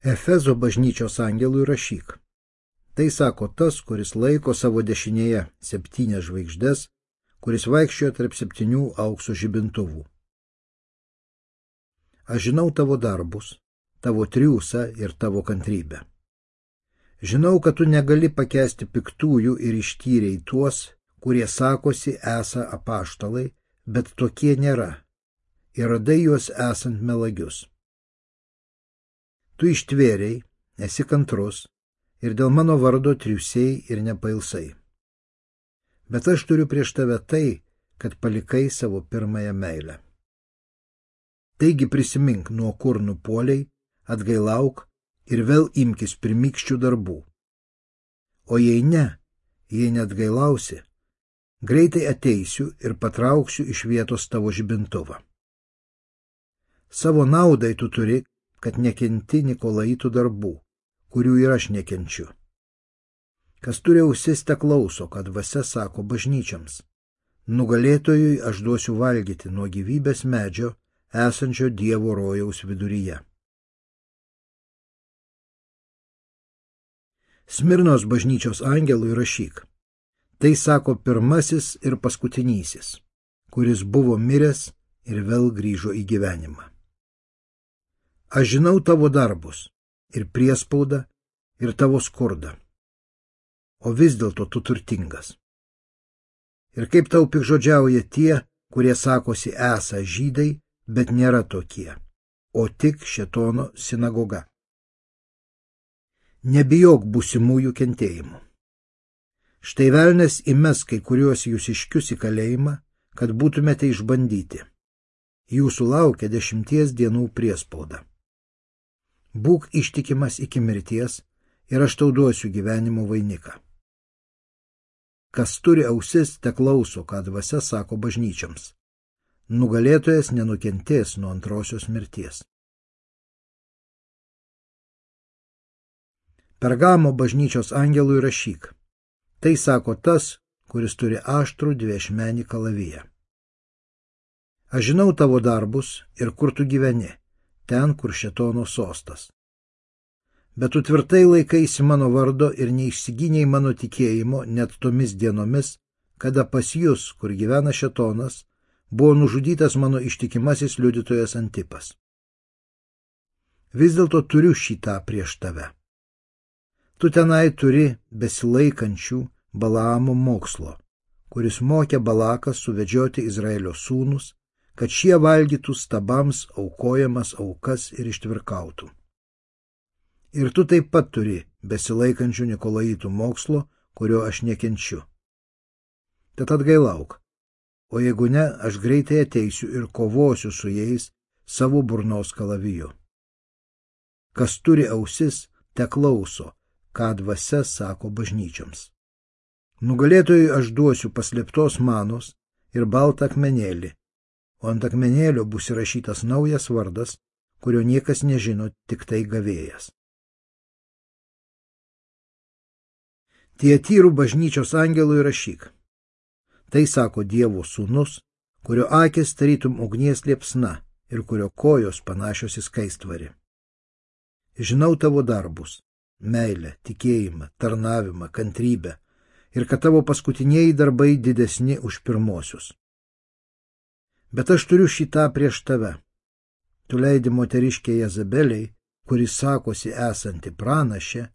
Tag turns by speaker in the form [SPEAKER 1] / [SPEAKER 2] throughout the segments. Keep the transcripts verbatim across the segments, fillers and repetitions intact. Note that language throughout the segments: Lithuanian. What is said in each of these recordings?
[SPEAKER 1] Efezo bažnyčios angelui rašyk. Tai sako tas, kuris laiko savo dešinėje septynias žvaigždes, kuris vaikščiojo tarp septynių aukso žibintuvų. Aš žinau tavo darbus, tavo triūsą ir tavo kantrybę. Žinau, kad tu negali pakęsti piktųjų ir ištyrei tuos, kurie sakosi esą apaštalai, bet tokie nėra, ir radai juos esant melagius. Tu ištvėrei, esi kantrus, ir dėl mano vardo triūsiai ir nepailsai. Bet aš turiu prieš tave tai, kad palikai savo pirmąją meilę. Taigi prisimink, nuo kur nupuoliai, atgailauk ir vėl imkis pirmykščių darbų. O jei ne, jei neatgailausi, greitai ateisiu ir patrauksiu iš vietos tavo žibintuvą. Savo naudai tu turi, kad nekenti Nikolaitų darbų, kurių ir aš nekenčiu. Kas turi ausis, te klauso, kad dvasia sako bažnyčiams. Nugalėtojui aš duosiu valgyti nuo gyvybės medžio, esančio Dievo rojaus viduryje. Smirnos bažnyčios angelui rašyk. Tai sako pirmasis ir paskutinysis, kuris buvo miręs ir vėl grįžo į gyvenimą. Aš žinau tavo darbus, ir priespaudą, ir tavo skurdą, o vis dėlto tu turtingas. Ir kaip tau pikžodžiauja tie, kurie sakosi esą žydai, bet nėra tokie, o tik šėtono sinagoga. Nebijok būsimųjų kentėjimų. Štai velnias įmes kai kuriuos jūsiškius į kalėjimą, kad būtumėte išbandyti. Jūsų laukia dešimties dienų priespauda. Būk ištikimas iki mirties ir aš tau duosiu gyvenimo vainiką. Kas turi ausis, te klauso, ką dvasia sako bažnyčiams. Nugalėtojas nenukentės nuo antrosios mirties. Pergamo bažnyčios angelui rašyk. Tai sako tas, kuris turi aštrų dviašmenį kalaviją. Aš žinau tavo darbus ir kur tu gyveni, ten, kur šėtono sostas. Bet tu tvirtai laikaisi mano vardo ir neišsigynei mano tikėjimo net tomis dienomis, kada pas jus, kur gyvena šėtonas, buvo nužudytas mano ištikimasis liudytojas Antipas. Vis dėlto turiu šitą prieš tave. Tu tenai turi besilaikančių Balaamo mokslo, kuris mokė Balaką suvedžioti Izraelio sūnus, kad šie valgytų stabams aukojamas aukas ir ištvirkautų. Ir tu taip pat turi besilaikančių Nikolaitų mokslo, kurio aš nekenčiu. Tad atgailauk, o jeigu ne, aš greitai ateisiu ir kovosiu su jais savo burnos kalaviju. Kas turi ausis, te klauso, ką dvasia sako bažnyčioms. Nugalėtojui aš duosiu paslėptos manos ir baltą akmenėlį, o ant akmenėlio bus įrašytas naujas vardas, kurio niekas nežino, tik tai gavėjas. Tiatyrų bažnyčios angelui rašyk. Tai sako Dievo sūnus, kurio akis tarytum ugnies liepsna ir kurio kojos panašios į skaistvarį. Žinau tavo darbus, meilę, tikėjimą, tarnavimą, kantrybę, ir kad tavo paskutinieji darbai didesni už pirmosius. Bet aš turiu šitą prieš tave. Tu leidi moteriškė Jezabeliai, kuris sakosi esanti pranašė,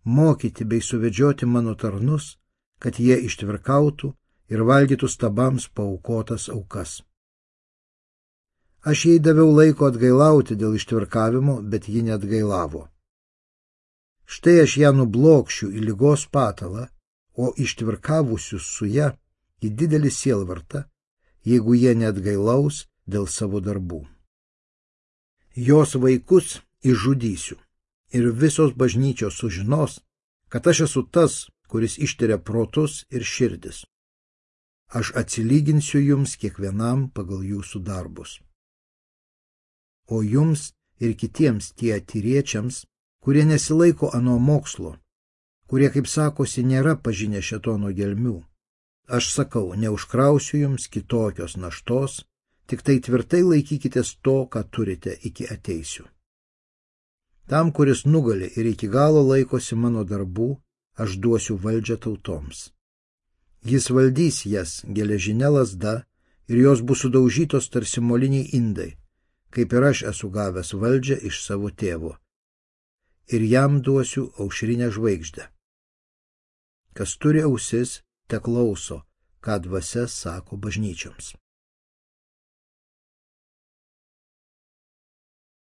[SPEAKER 1] mokyti bei suvedžioti mano tarnus, kad jie ištvirkautų ir valgytų stabams paaukotas aukas. Aš jai daviau laiko atgailauti dėl ištvirkavimo, bet ji neatgailavo. Štai aš ją nublokšiu į ligos patalą, o ištvirkavusius su ją į didelį sielvartą, jeigu jie neatgailaus dėl savo darbų. Jos vaikus išžudysiu, ir visos bažnyčios sužinos, kad aš esu tas, kuris ištiria protus ir širdis. Aš atsilyginsiu jums kiekvienam pagal jūsų darbus. O jums ir kitiems tie tyriečiams, kurie nesilaiko ano mokslo, kurie, kaip sakosi, nėra pažinę šėtono gelmių, aš sakau, neužkrausiu jums kitokios naštos, tik tai tvirtai laikykitės to, ką turite, iki ateisiu. Tam, kuris nugali ir iki galo laikosi mano darbų, aš duosiu valdžią tautoms. Jis valdys jas geležinė lazda ir jos bus sudaužytos tarsi moliniai indai, kaip ir aš esu gavęs valdžią iš savo tėvo. Ir jam duosiu aušrinę žvaigždę. Kas turi ausis, te klauso, ką dvasia sako bažnyčioms.